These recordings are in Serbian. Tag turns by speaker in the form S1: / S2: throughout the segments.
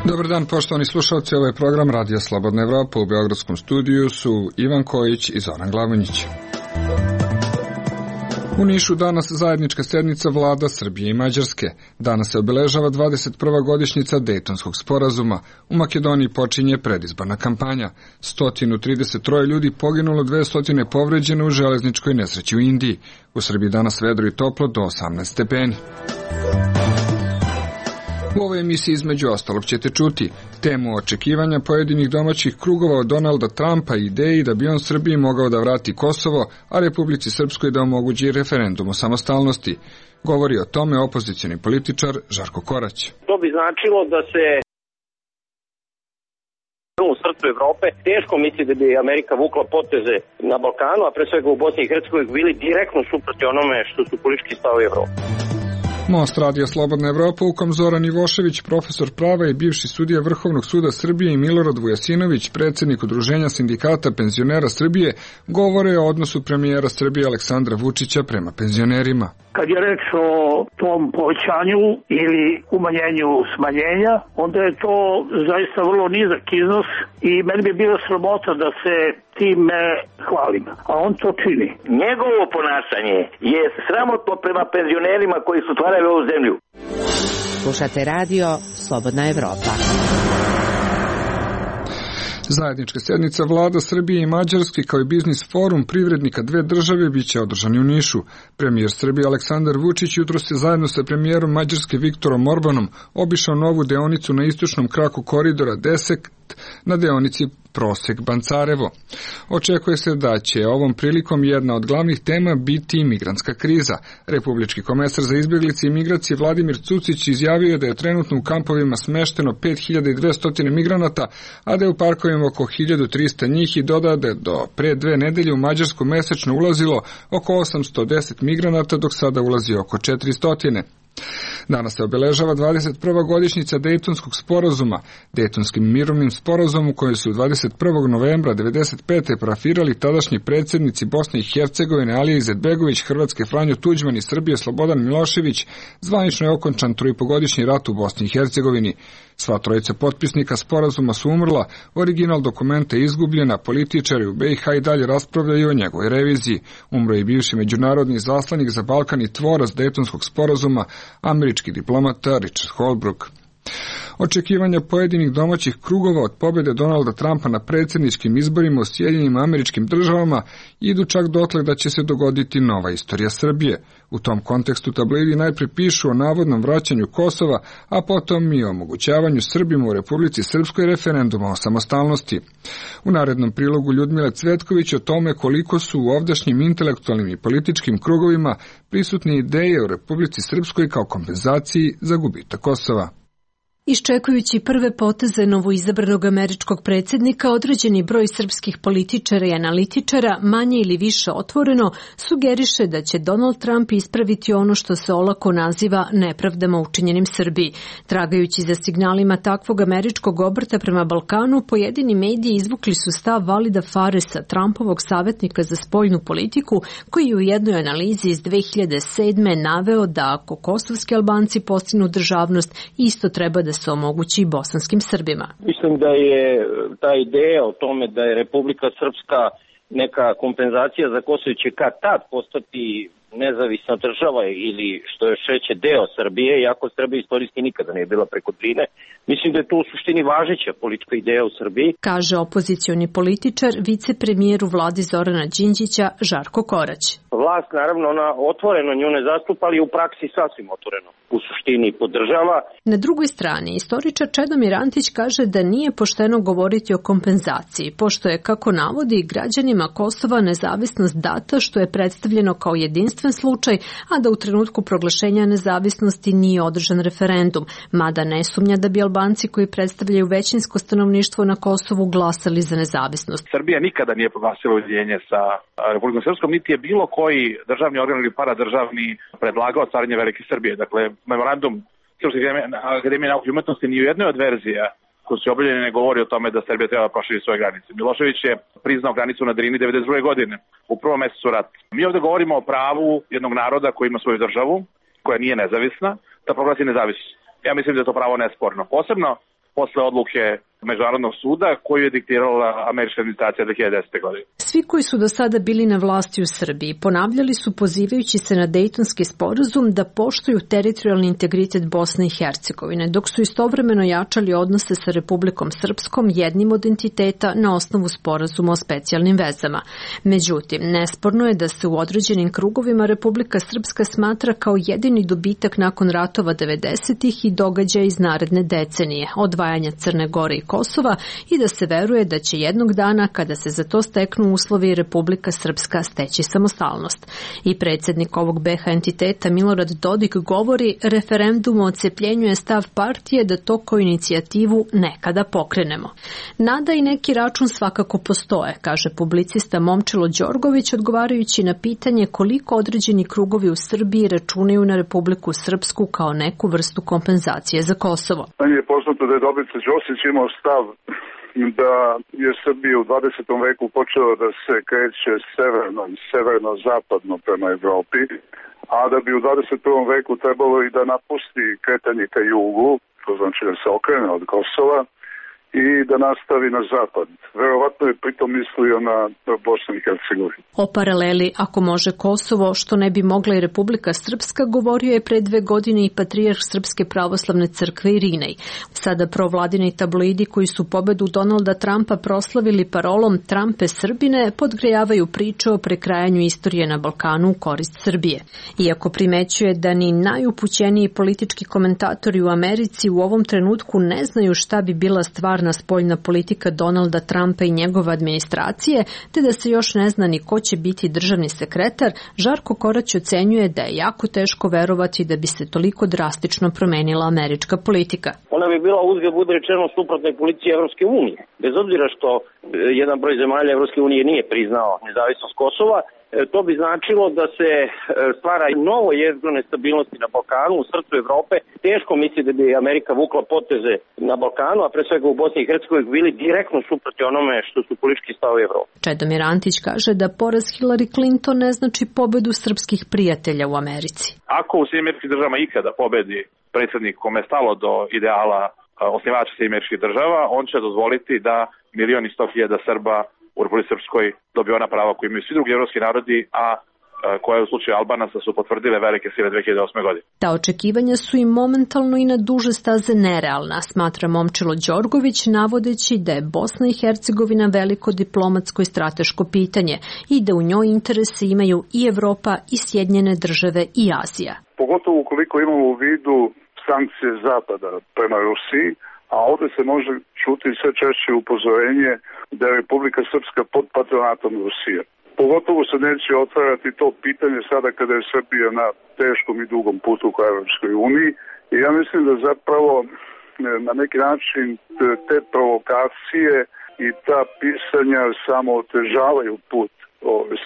S1: Dobar dan, poštovani slušalci, ovaj program Radija Slobodna Evropa. U beogradskom studiju su Ivan Kojić i Zoran Glavonjić. U Nišu danas zajednička sednica vlada Srbije i Mađarske. Danas se obeležava 21. godišnjica Dejtonskog sporazuma. U Makedoniji počinje predizborna kampanja. 133 ljudi poginulo, 200 povređene u železničkoj nesreći u Indiji. U Srbiji danas vedro i toplo do 18 stepeni. U ovoj emisiji između ostalog ćete čuti temu očekivanja pojedinih domaćih krugova od Donalda Trumpa i ideji da bi on Srbiji mogao da vrati Kosovo, a Republici Srpskoj da omogući referendum o samostalnosti. Govori o tome opozicioni političar Žarko Korać.
S2: To bi značilo da se u srcu Evrope teško misli da bi Amerika vukla poteze na Balkanu, a pre svega u Bosni i Hercegovini bili direktno suprotni onome što su politički stavovi Evrope.
S1: Most Radija Slobodna Evropa, u kom Zoran Ivošević, profesor prava i bivši sudija Vrhovnog suda Srbije, i Milorad Vujasinović, predsjednik Udruženja sindikata penzionera Srbije, govore o odnosu premijera Srbije Aleksandra Vučića prema penzionerima.
S3: Kad je reč o tom povećanju ili umanjenju smanjenja, onda je to zaista vrlo nizak iznos i meni bi bilo sramota da se time hvalim, a on to čini.
S2: Njegovo ponašanje je sramotno prema penzionerima koji su stvarali ovu zemlju.
S4: Slušate radio Slobodna Evropa.
S1: Zajednička sednica vlada Srbije i Mađarske kao i biznis forum privrednika dve države biće održani u Nišu. Premijer Srbije Aleksandar Vučić jutros je zajedno sa premijerom Mađarske Viktorom Orbanom obišao novu deonicu na istočnom kraku koridora 10 na deonici Prosek-Bancarevo. Očekuje se da će ovom prilikom jedna od glavnih tema biti imigrantska kriza. Republički komesar za izbjeglice i migracije Vladimir Cucić izjavio je da je trenutno u kampovima smešteno 5200 migranata, a da je u parkovima oko 1300 njih, i dodao da je do pre 2 nedelje u Mađarsku mesečno ulazilo oko 810 migranata, dok sada ulazi oko 400. Danas se obeležava 21. godišnjica Dejtonskog sporazuma. Dejtonskim mirovnim sporazumom koji su 21. novembra 1995. parafirali tadašnji predsjednici Bosne i Hercegovine Alija Izetbegović, Hrvatske Franjo Tuđman i Srbije Slobodan Milošević, zvanično je okončan 3,5-godišnji rat u Bosni i Hercegovini. Sva trojica potpisnika sporazuma su umrla, original dokumenta je izgubljena, političari u BiH i dalje raspravljaju o njegovoj reviziji. Umro je bivši međunarodni zaslanik za Balkan i tvorac Dejtonskog sporazuma, američki diplomata Richard Holbrooke. Očekivanja pojedinih domaćih krugova od pobjede Donalda Trumpa na predsjedničkim izborima u Sjedinjenim Američkim Državama idu čak dotle da će se dogoditi nova istorija Srbije. U tom kontekstu tabloidi najpre pišu o navodnom vraćanju Kosova, a potom i o omogućavanju Srbima u Republici Srpskoj referenduma o samostalnosti. U narednom prilogu Ljudmile Cvetković o tome koliko su u ovdašnjim intelektualnim i političkim krugovima prisutne ideje o Republici Srpskoj kao kompenzaciji za gubitak Kosova.
S5: Iščekujući prve poteze novoizabranog američkog predsjednika, određeni broj srpskih političara i analitičara, manje ili više otvoreno, sugeriše da će Donald Trump ispraviti ono što se olako naziva nepravdama učinjenim Srbiji. Tragajući za signalima takvog američkog obrta prema Balkanu, pojedini mediji izvukli su stav Valida Faresa, Trumpovog savjetnika za spoljnu politiku, koji je u jednoj analizi iz 2007. naveo da ako kosovski Albanci postignu državnost, isto treba da se omogući i bosanskim Srbima.
S2: Mislim da je ta ideja o tome da je Republika Srpska neka kompenzacija za Kosovo će kad tad postati nezavisna država ili što još reće deo Srbije, iako Srbija istorijski nikada nije bila preko Drine. Mislim da je to u suštini važeća politička ideja u Srbiji. Kaže
S5: opozicioni političar, vicepremijer u vladi Zorana Đinđića Žarko Korać.
S2: Vlast naravno ona otvoreno nju ne zastupa, ali u praksi sasvim otvoreno u suštini podržava.
S5: Na drugoj strani, istoričar Čedomir Antić kaže da nije pošteno govoriti o kompenzaciji, pošto je, kako navodi, građanima Kosova nezavisnost data, što je predstavljeno kao jedinstven slučaj, a da u trenutku proglašenja nezavisnosti nije održan referendum, mada ne sumnja da bi Albanci koji predstavljaju većinsko stanovništvo na Kosovu glasali za nezavisnost.
S6: Srbija nikada nije proglasila ujedinjenje sa Republikom Srpskom, niti je bilo koji državni organ ili paradržavni predlagao stvaranje Velike Srbije. Dakle, memorandum Srpske akademije nauke i umetnosti ni u jednoj od verzija koji su objavljeni ne govori o tome da Srbija treba da proširi svoje granice. Milošević je priznao granicu na Drini 1992. godine, u prvom mesecu rata. Mi ovdje govorimo o pravu jednog naroda koji ima svoju državu, koja nije nezavisna, da proglasi nezavisnost. Ja mislim da je to pravo nesporno. Posebno posle odluke Međunarodnog suda koju je diktirala američka administracija 2010. godine.
S5: Svi koji su do sada bili na vlasti u Srbiji ponavljali su pozivajući se na Dejtonski sporazum da poštuju teritorijalni integritet Bosne i Hercegovine, dok su istovremeno jačali odnose sa Republikom Srpskom, jednim od entiteta na osnovu sporazuma o specijalnim vezama. Međutim, nesporno je da se u određenim krugovima Republika Srpska smatra kao jedini dobitak nakon ratova 90-ih i događaja iz naredne decenije, odvajanja Crne Gore i Kosova, i da se veruje da će jednog dana, kada se za to steknu uslovi, Republika Srpska steći samostalnost. I predsjednik ovog BiH entiteta Milorad Dodik govori: referendum o odcepljenju je stav partije da to kao inicijativu nekada pokrenemo. Nada i neki račun svakako postoje, kaže publicista Momčilo Đorgović, odgovarajući na pitanje koliko određeni krugovi u Srbiji računaju na Republiku Srpsku kao neku vrstu kompenzacije za Kosovo.
S7: Meni je poznato da je Dobrica Ćosić imao stav da je Srbija u 20. veku počela da se kreće severno-zapadno prema Evropi, a da bi u 21. veku trebalo i da napusti kretanje ka jugu, to znači da se okrene od Kosova, i da nastavi na zapad. Verovatno je pritom mislio na Bosnu i Hercegovinu.
S5: O paraleli, ako može Kosovo, što ne bi mogla i Republika Srpska, govorio je pre 2 godine i patrijarh Srpske pravoslavne crkve Irinej. Sada provladini tabloidi koji su pobedu Donalda Trumpa proslavili parolom Trumpe Srbine podgrejavaju priče o prekrajanju istorije na Balkanu u korist Srbije. Iako primećuje da ni najupućeniji politički komentatori u Americi u ovom trenutku ne znaju šta bi bila stvar spoljna politika Donalda Trumpa i njegove administracije, te da se još ne zna ni ko će biti državni sekretar, Žarko Korać ocenjuje da je jako teško verovati da bi se toliko drastično promenila američka politika.
S2: Ona bi bila, uzgled bude rečeno, suprotnoj politici Evropske unije. Bez obzira što jedan broj zemalja Evropske unije nije priznao nezavisnost Kosova, to bi značilo da se stvara novo jezgro nestabilnosti na Balkanu, u srcu Evrope. Teško misli da bi Amerika vukla poteze na Balkanu, a pre svega u Bosni i Hercegovini, bili direktno suprotni onome što su politički stavovi Evrope.
S5: Čedomir Antić kaže da poraz Hillary Clinton ne znači pobedu srpskih prijatelja u Americi.
S6: Ako u SAD državama ikada pobedi predsjednik kome je stalo do ideala osnivača SAD država, on će dozvoliti da 1.100.000 Srba u Republici Srpskoj dobio ona prava koje imaju svi drugi evropski narodi, a koje u slučaju Albanaca su potvrdile velike sile 2008. godine.
S5: Ta očekivanja su i momentalno i na duže staze nerealna, smatra Momčilo Đorgović, navodeći da je Bosna i Hercegovina veliko diplomatsko i strateško pitanje i da u njoj interese imaju i Evropa i Sjedinjene države i Azija.
S7: Pogotovo ukoliko imamo u vidu sankcije Zapada prema Rusiji, a ovdje se može čuti sve češće upozorenje da je Republika Srpska pod patronatom Rusije. Pogotovo se neće otvarati to pitanje sada kada je Srbija na teškom i dugom putu ka Evropskoj uniji. I ja mislim da zapravo na neki način te provokacije i ta pisanja samo otežavaju put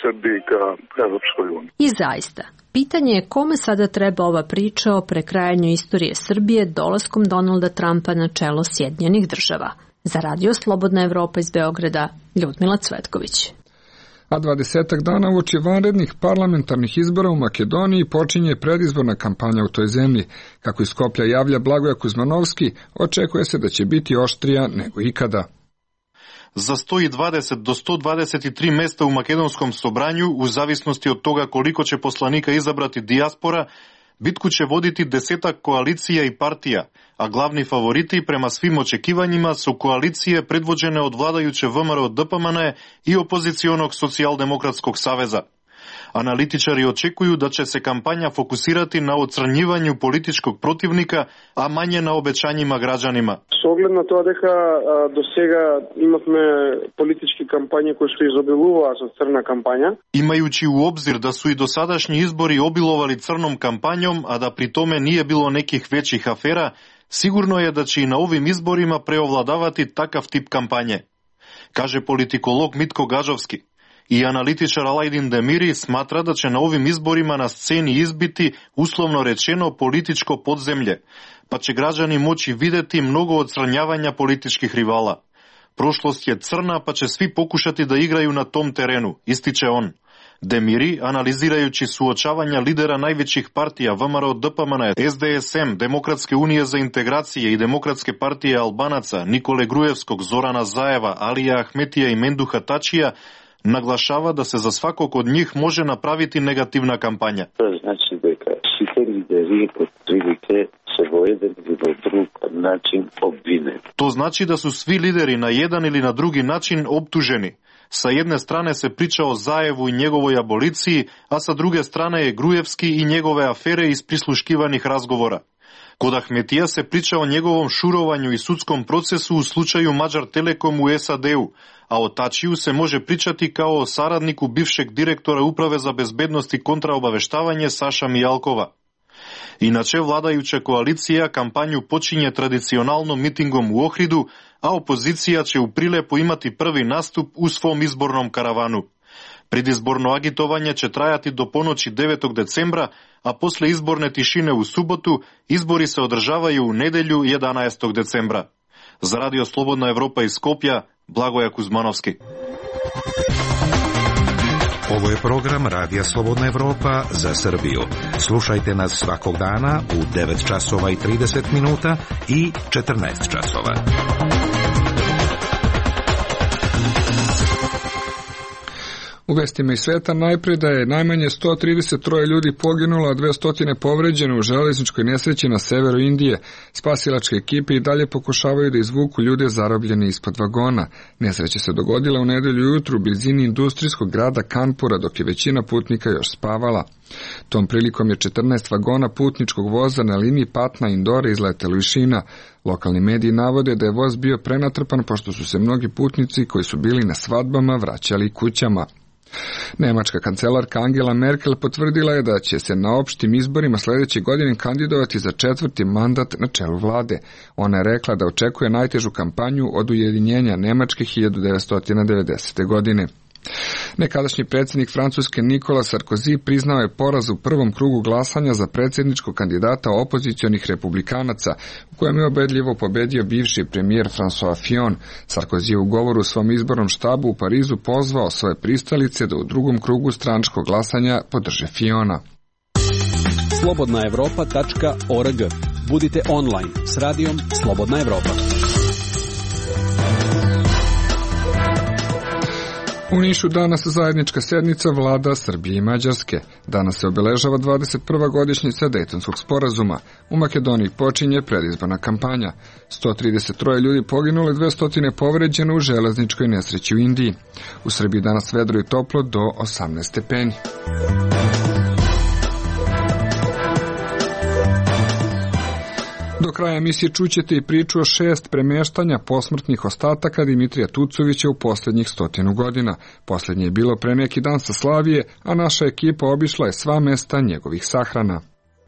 S7: Srbiji ka Evropskoj uniji.
S5: I zaista, pitanje je kome sada treba ova priča o prekrajanju istorije Srbije dolaskom Donalda Trumpa na čelo Sjedinjenih država. Za Radio Slobodna Evropa iz Beograda, Ljudmila Cvetković.
S1: A 20 dana uoči vanrednih parlamentarnih izbora u Makedoniji počinje predizborna kampanja u toj zemlji. Kako iz Skoplja javlja Blagoje Kuzmanovski, očekuje se da će biti oštrija nego ikada.
S8: За 120 до 123 места у македонском собрању, у зависности од тога колико ќе посланика изабрати диаспора, битку ќе водити десетак коалиција и партија, а главни фаворити према свим очекивањима со коалиција предводена од владајуче ВМРО ДПМН и опозиционог Социјалдемократског савеза. Аналитичари очекуju да ќе се кампања фокусирати на отстранјивању политичког противника, а мање на обеќањима граѓанима.
S9: Со оглед на тоа дека до сега имавме политички кампањи кои што изобилуваа со црна кампања.
S8: Имајучи у обзир да су и досадашни избори обиловали црном кампањом, а да при томе nije bilo nekih većih afera, sigurno je da će i na ovim izborima preovladavati takav tip kampanje, kaže politikolog Mitko Gađovski. И аналитичар Алајдин Демири сматра да ќе на овим изборима на сцени избити, условно речено, политичко подземље, па ќе граѓани моći видети многу отстранјавања политичких ривала. Прошлост е црна, па ќе сви покушати да играју на том терену, истиче он. Демири, анализирајуći суочавања лидера највеćih партија ВМРО, ДПМН, СДСМ, Демократske unije za integracije и Демократske партije Албанаца, Николе Груевског, Зорана Заева, Алија Ахметија и Мендуха Тачија, наглашава да се за сваког од нив може направити негативна кампања.
S10: Значи дека сите лидери отприлike се во еден или во друг начин обвинени.
S8: То значи да су сви лидери на еден или на други начин обтужени. Sa jedne strane se priča o Zajevu i njegovoj aboliciji, a sa druge strane je Груевски i njegove afere iz prisluškivanih razgovora. Kod Ahmetija se priča o njegovom šurovanju i sudskom procesu u slučaju Mađar Telekom u SAD-u, a o Tačiju se može pričati kao o saradniku bivšeg direktora Uprave za bezbednost i kontraobaveštavanje Saša Mijalkova. Иначе, владајуча коалиција кампању почиње традиционално митингом у Охриду, а опозиција ќе у Прилепо имати први наступ у свом изборном каравану. Предизборно агитовање ќе трајати до поночи 9 децембра, а после изборне тишине у суботу, избори се одржавају у неделју 11 децембра. За Радио Слободна Европа из Скопје, Благоја Кузмановски.
S11: Ovo je program Radija Slobodna Evropa za Srbiju. Slušajte nas svakog dana u 9 časova i 30 minuta i 14 časova.
S1: U vestima iz sveta najpre da je najmanje 133 ljudi poginulo, a 200 povređeno u železničkoj nesreći na severu Indije. Spasilačke ekipe i dalje pokušavaju da izvuku ljude zarobljene ispod vagona. Nesreća se dogodila u nedelju ujutru u blizini industrijskog grada Kanpura, dok je većina putnika još spavala. Tom prilikom je 14 vagona putničkog voza na liniji Patna-Indore izletelo iz šina. Lokalni mediji navode da je voz bio prenatrpan pošto su se mnogi putnici koji su bili na svadbama vraćali kućama. Nemačka kancelarka Angela Merkel potvrdila je da će se na opštim izborima sledeće godine kandidovati za 4. mandat na čelu vlade. Ona je rekla da očekuje najtežu kampanju od ujedinjenja Nemačke 1990. godine. Nekadašnji predsjednik Francuske Nicolas Sarkozy priznao je poraz u prvom krugu glasanja za predsjedničkog kandidata opozicionih republikanaca, u kojem je ubedljivo pobedio bivši premijer François Fillon. Sarkozy je u govoru u svom izbornom štabu u Parizu pozvao svoje pristalice da u drugom krugu stranačkog glasanja podrže Fillona.
S12: slobodnaevropa.org. Budite online s radijom Slobodna Evropa.
S1: U Nišu danas zajednička sednica vlada Srbije i Mađarske. Danas se obeležava 21. godišnjica Dejtonskog sporazuma. U Makedoniji počinje predizborna kampanja. 133 ljudi poginulo i 200 povređeno u železničkoj nesreći u Indiji. U Srbiji danas vedro i toplo do 18 stepeni. Do kraja emisije čućete i priču o 6 premeštanja posmrtnih ostataka Dimitrija Tucovića u posljednjih 100 godina. Posljednje je bilo pre neki dan sa Slavije, a naša ekipa obišla je sva mesta njegovih sahrana.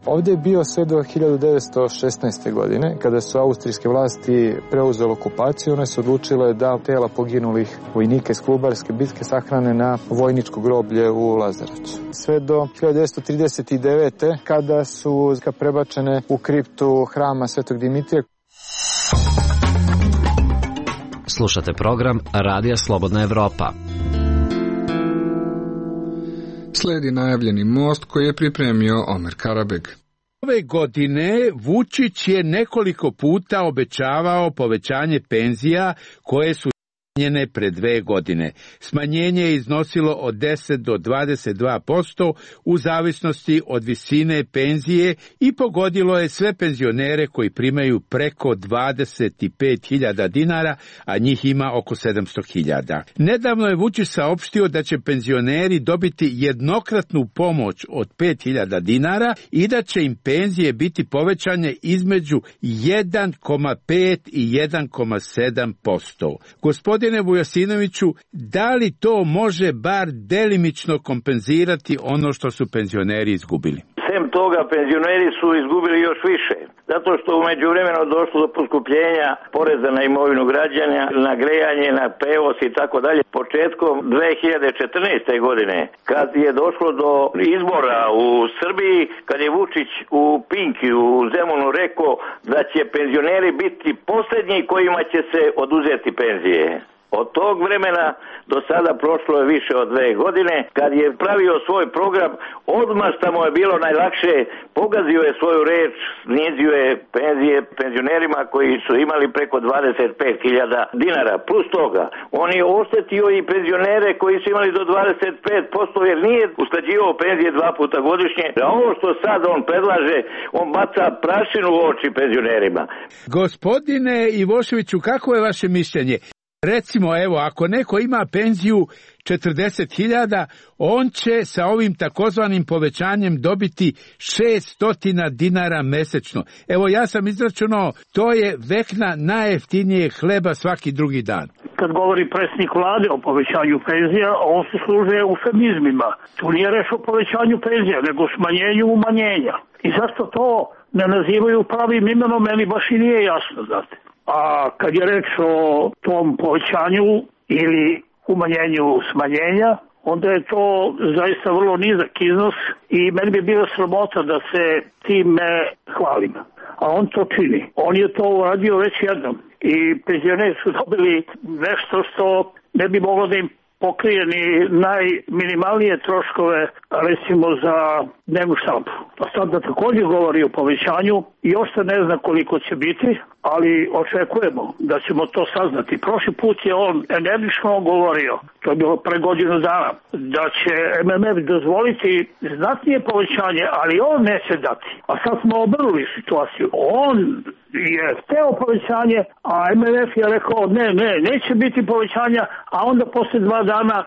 S13: Ovdje je bio sve do 1916. godine, kada su austrijske vlasti preuzele okupaciju. One su odlučile da tela poginulih vojnika iz Klubarske bitke sahrane na vojničko groblje u Lazarevcu. Sve do 1939. kada su prebačene u kriptu hrama Svetog Dimitrija.
S14: Slušate program Radija Slobodna Evropa.
S1: Sledi najavljeni most koji je pripremio Omer Karabeg.
S15: Ove godine Vučić je nekoliko puta obećavao povećanje penzija koje su smanjene pre 2 godine. Smanjenje je iznosilo od 10 do 22% u zavisnosti od visine penzije i pogodilo je sve penzionere koji primaju preko 25.000 dinara, a njih ima oko 700.000. Nedavno je Vučić saopštio da će penzioneri dobiti jednokratnu pomoć od 5.000 dinara i da će im penzije biti povećane između 1,5 i 1,7%. Gospodine Vujasinoviću, da li to može bar delimično kompenzirati ono što su penzioneri izgubili?
S16: Sem toga, penzioneri su izgubili još više, zato što u međuvremenu došlo do poskupljenja poreza na imovinu građana, na grejanje, na prevoz i tako dalje. Početkom 2014. godine, kad je došlo do izbora u Srbiji, kad je Vučić u Pinki, u Zemunu rekao da će penzioneri biti posljednji kojima će se oduzeti penzije. Od tog vremena do sada prošlo je više od 2 godine. Kad je pravio svoj program, odmah što mu je bilo najlakše, pogazio je svoju reč, snizio je penzije penzionerima koji su imali preko 25.000 dinara. Plus toga, on je oštetio i penzionere koji su imali do 25%, jer nije usklađivao penzije 2 puta godišnje. A ovo što sad on predlaže, on baca prašinu u oči penzionerima.
S15: Gospodine Ivoševiću, kako je vaše mišljenje? Recimo, evo, ako neko ima penziju 40.000, on će sa ovim takozvanim povećanjem dobiti 600 dinara mesečno. Evo, ja sam izračunao, to je vekna najjeftinije hleba svaki drugi dan.
S3: Kad govori predsjednik vlade o povećanju penzija, on se služe eufemizmima. Tu nije reč o povećanju penzija, nego smanjenju umanjenja. I zašto to ne nazivaju pravim imenom, meni baš i nije jasno, znate. A kad je reč o tom povećanju ili umanjenju smanjenja, onda je to zaista vrlo nizak iznos i meni bi bilo sramota da se time hvalim. A on to čini. On je to uradio već jednom. I penzioneri su dobili nešto što ne bi moglo da im pokrije ni najminimalnije troškove, recimo za dnevnu štampu. A sad da također govori o povećanju i još se ne zna koliko će biti, ali očekujemo da ćemo to saznati. Prošli put je on energično govorio, to je bilo pre godinu dana, da će MMF dozvoliti znatnije povećanje, ali on neće dati. A sad smo obrnuli situaciju. On je hteo povećanje, a MMF je rekao neće biti povećanja, a onda posle 2 dana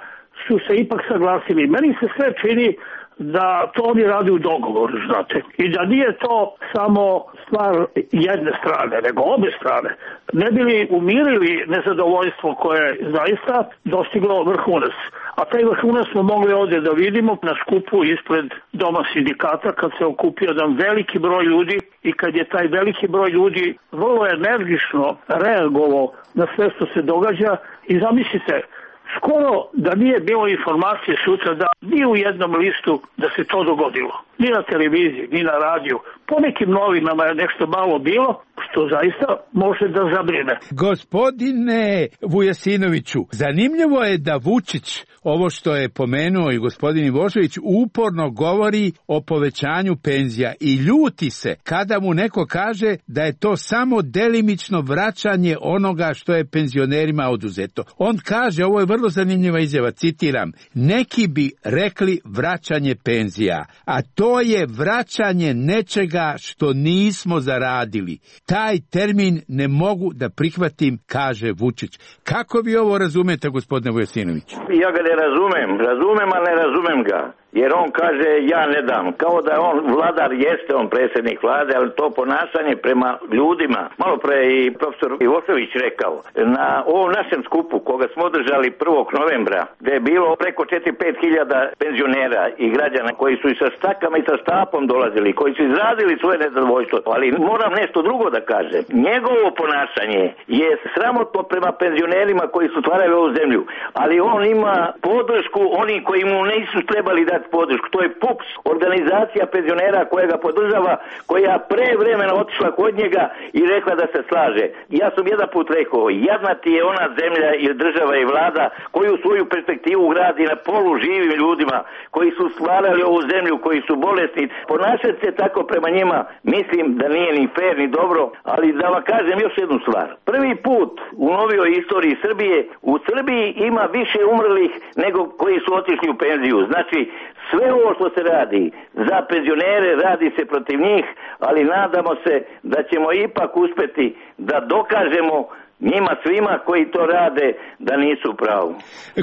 S3: su se ipak saglasili. Meni se sve čini da to oni radi u dogovoru, znate. I da nije to samo stvar jedne strane, nego obe strane. Ne bi li umirili nezadovoljstvo koje je zaista dostiglo vrhunac. A taj vrhunac smo mogli ovdje da vidimo na skupu ispred Doma sindikata, kad se okupio jedan veliki broj ljudi i kad je taj veliki broj ljudi vrlo energično reagovao na sve što se događa. I zamislite, skoro da nije bilo informacije sutra da ni u jednom listu da se to dogodilo. Ni na televiziji, ni na radiju. Po nekim novinama je nešto malo bilo, što zaista može da zabrine.
S15: Gospodine Vujasinoviću, zanimljivo je da Vučić, ovo što je pomenuo i gospodin Ivošević, uporno govori o povećanju penzija i ljuti se kada mu neko kaže da je to samo delimično vraćanje onoga što je penzionerima oduzeto. On kaže, ovo je vrlo zanimljiva izjava, citiram, neki bi rekli vraćanje penzija, a to je vraćanje nečega što nismo zaradili. Taj termin ne mogu da prihvatim, kaže Vučić. Kako vi ovo razumete, gospodine Vujasinović?
S16: Ja ga ne razumem, a ne razumem ga. Jer on kaže ja ne dam. Kao da je on vladar, jeste on predsjednik vlade, ali to ponašanje prema ljudima. Malo pre i profesor Ivošević rekao, na ovom našem skupu koga smo održali 1. novembra, gde je bilo preko 4-5 hiljada penzionera i građana koji su i sa stakama i sa štapom dolazili, koji su izradili svoje nezadovoljstvo. Ali moram nešto drugo da kažem. Njegovo ponašanje je sramotno prema penzionerima koji su stvarali ovu zemlju, ali on ima podršku oni koji mu nisu trebali dati podršku. To je PUPS, organizacija penzionera koja ga podržava, koja pre vremena otišla kod njega i rekla da se slaže. Ja sam jedan put rekao, jadna ti je ona zemlja ili država i vlada koju svoju perspektivu gradi na polu živim ljudima koji su stvarali ovu zemlju, koji su bolesni. Ponašati se tako prema njima mislim da nije ni fair ni dobro, ali da vam kažem još jednu stvar. Prvi put u novijoj istoriji Srbije, u Srbiji ima više umrlih nego koji su otišli u penziju. Znači, sve ovo što se radi za penzionere, radi se protiv njih, ali nadamo se da ćemo ipak uspeti da dokažemo njima svima koji to rade da nisu u pravu.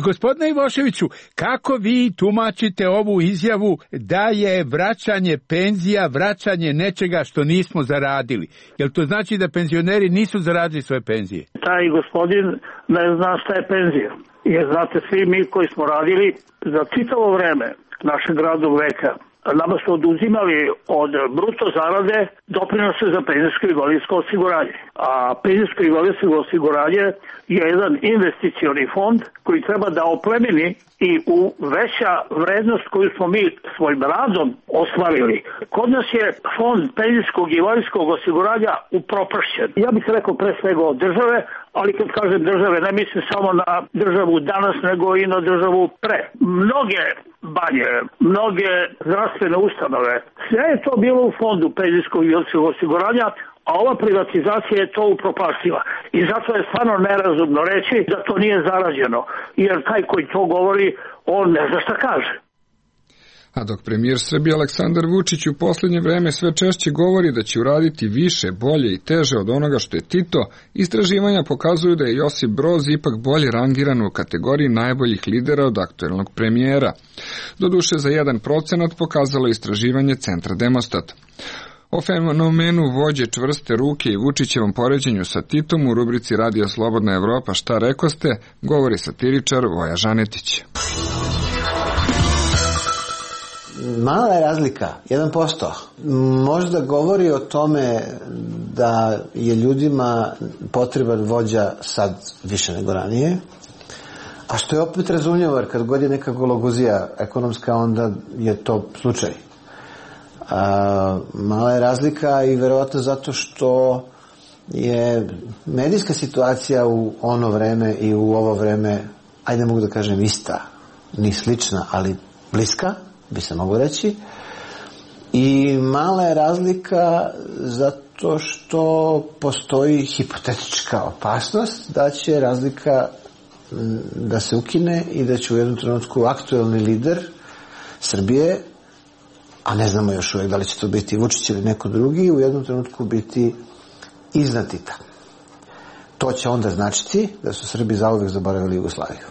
S15: Gospodine Ivoševiću, kako vi tumačite ovu izjavu da je vraćanje penzija, vraćanje nečega što nismo zaradili? Jel to znači da penzioneri nisu zaradili svoje penzije?
S3: Taj gospodin ne zna šta je penzija. Jer znate, svi mi koji smo radili za čitavo vreme našeg radnog veka, nama su oduzimali od bruto zarade doprinose za penzijsko i invalidsko osiguranje. A penzijsko i invalidsko osiguranje je jedan investicioni fond koji treba da oplemeni i u veća vrednost koju smo mi svojim radom ostvarili. Kod nas je fond penzijskog i invalidskog osiguranja upropašćen. Ja bih rekao pre svega od države, ali kad kažem države, ne mislim samo na državu danas, nego i na državu pre. Mnoge banje, mnoge zdravstvene ustanove, sve je to bilo u fondu penzijskog i osiguranja, a ova privatizacija je to upropastila. I zato je stvarno nerazumno reći da to nije zarađeno, jer taj koji to govori, on ne zna šta kaže.
S1: A dok premijer Srbije Aleksandar Vučić u posljednje vreme sve češće govori da će uraditi više, bolje i teže od onoga što je Tito, istraživanja pokazuju da je Josip Broz ipak bolje rangiran u kategoriji najboljih lidera od aktuelnog premijera. Doduše za 1% pokazalo istraživanje Centra Demostat. O fenomenu vođe čvrste ruke i Vučićevom poređenju sa Titom u rubrici Radija Slobodna Evropa šta rekoste, govori satiričar Voja Žanetić.
S17: Mala je razlika, 1%. Možda govori o tome da je ljudima potreban vođa sad više nego ranije, a što je opet razumljivo, jer kad god je neka gologuzija ekonomska, onda je to slučaj. Mala je razlika i verovatno zato što je medijska situacija u ono vreme i u ovo vreme, ajde mogu da kažem ista, ni slična, ali bliska, bi se moglo reći. I mala je razlika zato što postoji hipotetička opasnost da će razlika da se ukine i da će u jednom trenutku aktuelni lider Srbije, a ne znamo još uvijek da li će to biti Vučić ili neko drugi, u jednom trenutku biti iznad Tita. To će onda značiti da su Srbi zauvek zaboravili Jugoslaviju.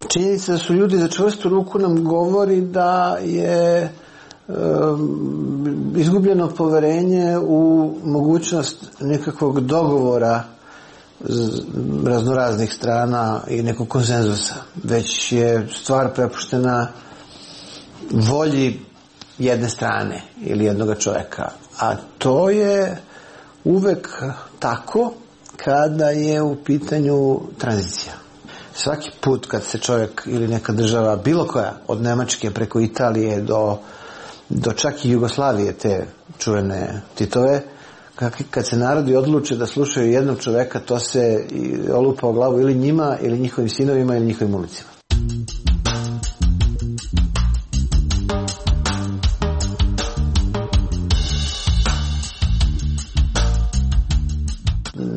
S17: Činjenica da su ljudi za čvrstu ruku nam govori da je izgubljeno poverenje u mogućnost nekakvog dogovora raznoraznih strana i nekog konsenzusa. Već je stvar prepuštena volji jedne strane ili jednog čovjeka. A to je uvek tako kada je u pitanju tranzicija. Svaki put kad se čovjek ili neka država, bilo koja, od Nemačke preko Italije do čak i Jugoslavije, te čuvene Titove, kad se narodi odluče da slušaju jednog čoveka, to se olupa o glavu ili njima, ili njihovim sinovima, ili njihovim ulicima.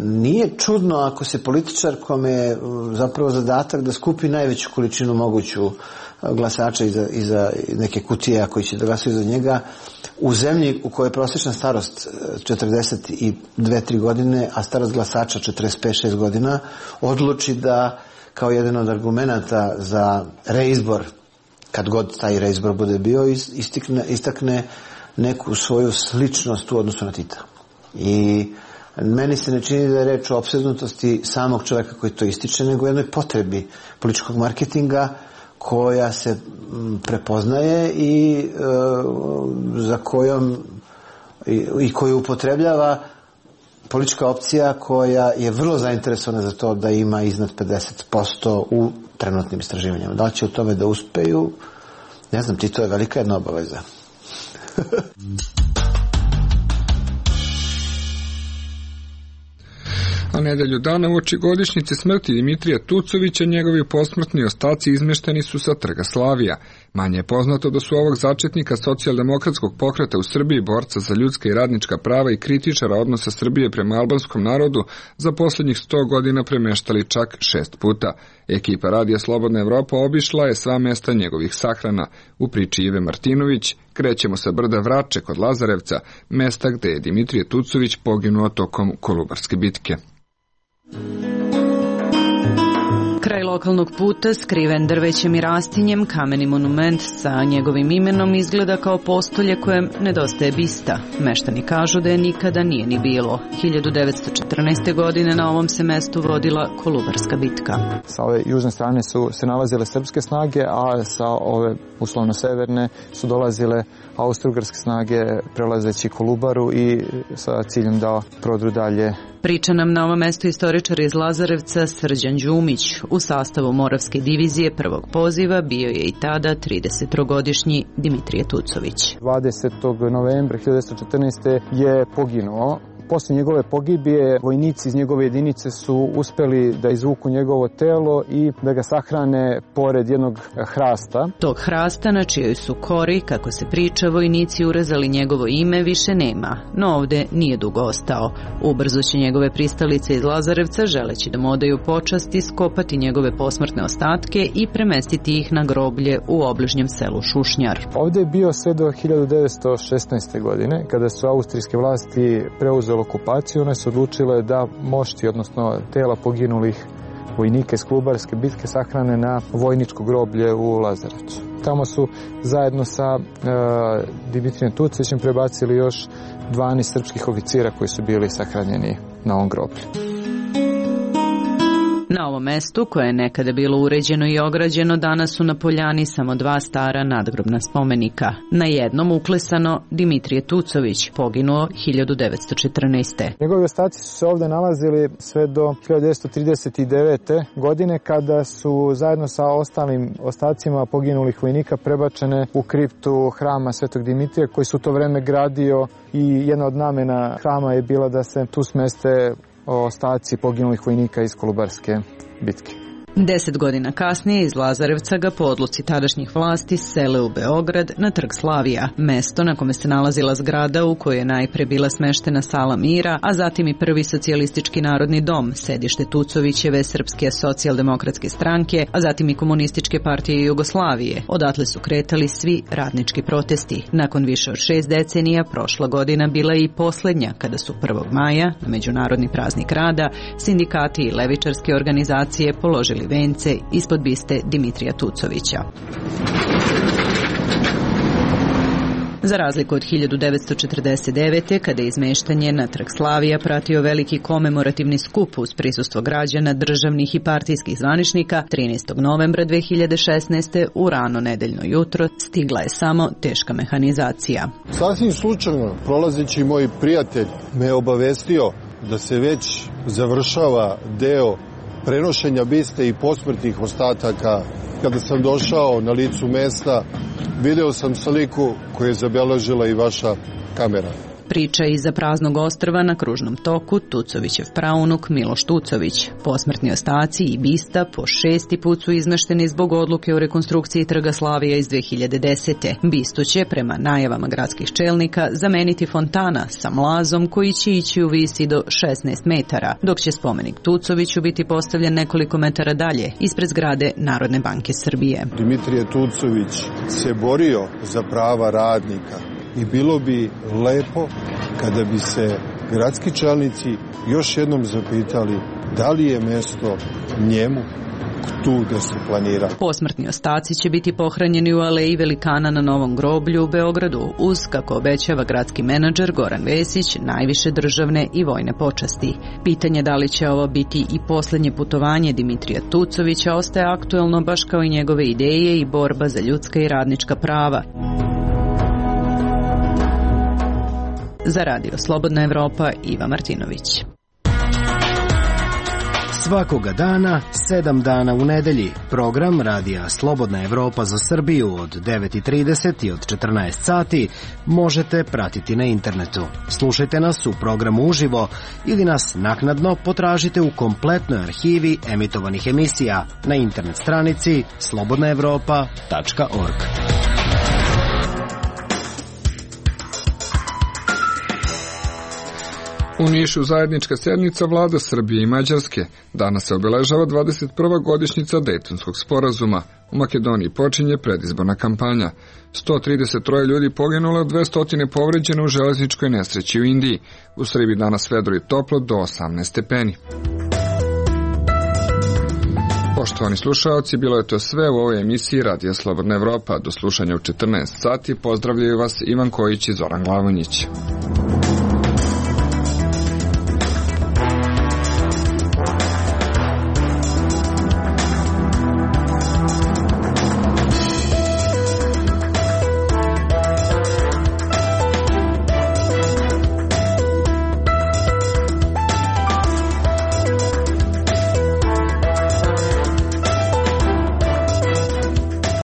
S17: Nije čudno ako se političar kome je zapravo zadatak da skupi najveću količinu moguću glasača iza neke kutije koji će da glasaju za njega, u zemlji u kojoj je prosječna starost 42-3 godine, a starost glasača 45-6 godina, odluči da kao jedan od argumenata za reizbor, kad god taj reizbor bude bio, istakne neku svoju sličnost u odnosu na Tita. I meni se ne čini da je reč o opsednutosti samog čovjeka koji to ističe, nego jednoj potrebi političkog marketinga koja se prepoznaje i za kojom i koju upotrebljava politička opcija koja je vrlo zainteresovana za to da ima iznad 50% u trenutnim istraživanjima. Da li će u tome da uspeju? Ne znam, to je velika jedna obaveza.
S1: A nedelju dana uoči godišnjice smrti Dimitrija Tucovića njegovi posmrtni ostaci izmešteni su sa Trga Slavija. Manje je poznato da su ovog začetnika socijaldemokratskog pokreta u Srbiji, borca za ljudska i radnička prava i kritičara odnosa Srbije prema albanskom narodu za posljednjih 100 godina premeštali čak 6 puta. Ekipa Radija Slobodna Evropa obišla je sva mesta njegovih sahrana. U priči Ive Martinović krećemo sa brda Vrače kod Lazarevca, mesta gde je Dimitrije Tucović poginuo tokom Kolubarske bitke.
S18: Kraj lokalnog puta, skriven drvećem i rastinjem, kameni monument sa njegovim imenom izgleda kao postolje kojem nedostaje bista. Meštani kažu da je nikada nije ni bilo. 1914. godine na ovom se mestu vodila Kolubarska bitka.
S13: Sa ove južne strane su se nalazile srpske snage, a sa ove uslovno severne su dolazile austrougarske snage prelazeći Kolubaru i sa ciljem da prodru dalje
S18: Priča nam na ovom mestu istoričar iz Lazarevca Srđan Đumić. U sastavu Moravske divizije prvog poziva bio je i tada 33-godišnji Dimitrije Tucović.
S13: 20. novembra 1914. je poginuo. Posle njegove pogibije vojnici iz njegove jedinice su uspeli da izvuku njegovo telo i da ga sahrane pored jednog hrasta.
S18: Tog hrasta na čijoj su kori, kako se priča, vojnici urezali njegovo ime više nema, no ovde nije dugo ostao. Ubrzo će njegove pristalice iz Lazarevca, želeći da mu odaju počast, iskopati njegove posmrtne ostatke i premestiti ih na groblje u obližnjem selu Šušnjar.
S13: Ovde je bio sve do 1916. godine, kada su austrijske vlasti preuzele okupaciju. One su odlučile da mošti, odnosno tela poginulih vojnika iz Kolubarske bitke sahrane na vojničko groblje u Lazarevcu. Tamo su zajedno sa Dimitrijem Tucovićem prebacili još 12 srpskih oficira koji su bili sahranjeni na ovom groblju.
S18: Na ovom mestu, koje je nekada bilo uređeno i ograđeno, danas su na poljani samo 2 stara nadgrobna spomenika. Na jednom uklesano Dimitrije Tucović, poginuo 1914.
S13: Njegovi ostaci su se ovde nalazili sve do 1939. godine, kada su zajedno sa ostalim ostacima poginulih vojnika prebačene u kriptu hrama Svetog Dimitrija, koji su u to vreme gradio, i jedna od namena hrama je bila da se tu smeste ostaci poginulih vojnika iz Kolubarske bitke.
S18: 10 godina kasnije iz Lazarevca ga po odluci tadašnjih vlasti sele u Beograd na Trg Slavija, mesto na kome se nalazila zgrada u kojoj je najpre bila smeštena Sala mira, a zatim i prvi socijalistički narodni dom, sedište Tucovićeve Srpske socijaldemokratske stranke, a zatim i Komunističke partije Jugoslavije. Odatle su kretali svi radnički protesti. Nakon više od 6 decenija, prošla godina bila i poslednja, kada su 1. maja, na Međunarodni praznik rada, sindikati i levičarske organizacije položili vence ispod biste Dimitrija Tucovića. Za razliku od 1949. kada je izmeštanje na Trg Slavija pratio veliki komemorativni skup uz prisustvo građana, državnih i partijskih zvaničnika, 13. novembra 2016. u rano nedeljno jutro stigla je samo teška mehanizacija.
S19: Sasvim slučajno, prolazeći moj prijatelj me je obavestio da se već završava deo prenošenja biste i posmrtnih ostataka. Kada sam došao na licu mesta, video sam sliku koju je zabeležila i vaša kamera.
S18: Priča iza praznog ostrva na kružnom toku Tucovićev praunuk Miloš Tucović. Posmrtni ostaci i bista po 6. put su izmešteni zbog odluke o rekonstrukciji Trga Slavija iz 2010. Bistu će, prema najavama gradskih čelnika, zameniti fontana sa mlazom koji će ići u visi do 16 metara, dok će spomenik Tucoviću biti postavljen nekoliko metara dalje, ispred zgrade Narodne banke Srbije.
S19: Dimitrije Tucović se borio za prava radnika i bilo bi lepo kada bi se gradski čelnici još jednom zapitali da li je mesto njemu tu da se planira.
S18: Posmrtni ostaci će biti pohranjeni u aleji velikana na Novom groblju u Beogradu uz, kako obećava gradski menadžer Goran Vesić, najviše državne i vojne počasti. Pitanje da li će ovo biti i poslednje putovanje Dimitrija Tucovića ostaje aktuelno, baš kao i njegove ideje i borba za ljudska i radnička prava. Za Radio Slobodna Evropa, Iva Martinović.
S20: Svakoga dana, 7 dana u nedelji. Program Radija Slobodna Evropa za Srbiju od 9:30 i od 14 sati možete pratiti na internetu. Slušajte nas u programu uživo ili nas naknadno potražite u kompletnoj arhivi emitovanih emisija na internet stranici slobodnaevropa.org.
S1: U Nišu zajednička sjednica vlada Srbije i Mađarske. Danas se obeležava 21. godišnjica Dejtonskog sporazuma. U Makedoniji počinje predizborna kampanja. 133 ljudi poginulo, 200 povređeno u železničkoj nesreći u Indiji. U Srbiji danas vedro i toplo do 18 stepeni. Poštovani slušaoci, bilo je to sve u ovoj emisiji Radija Slobodna Evropa. Do slušanja u 14 sati pozdravljaju vas Ivan Kojić i Zoran Glavonjić.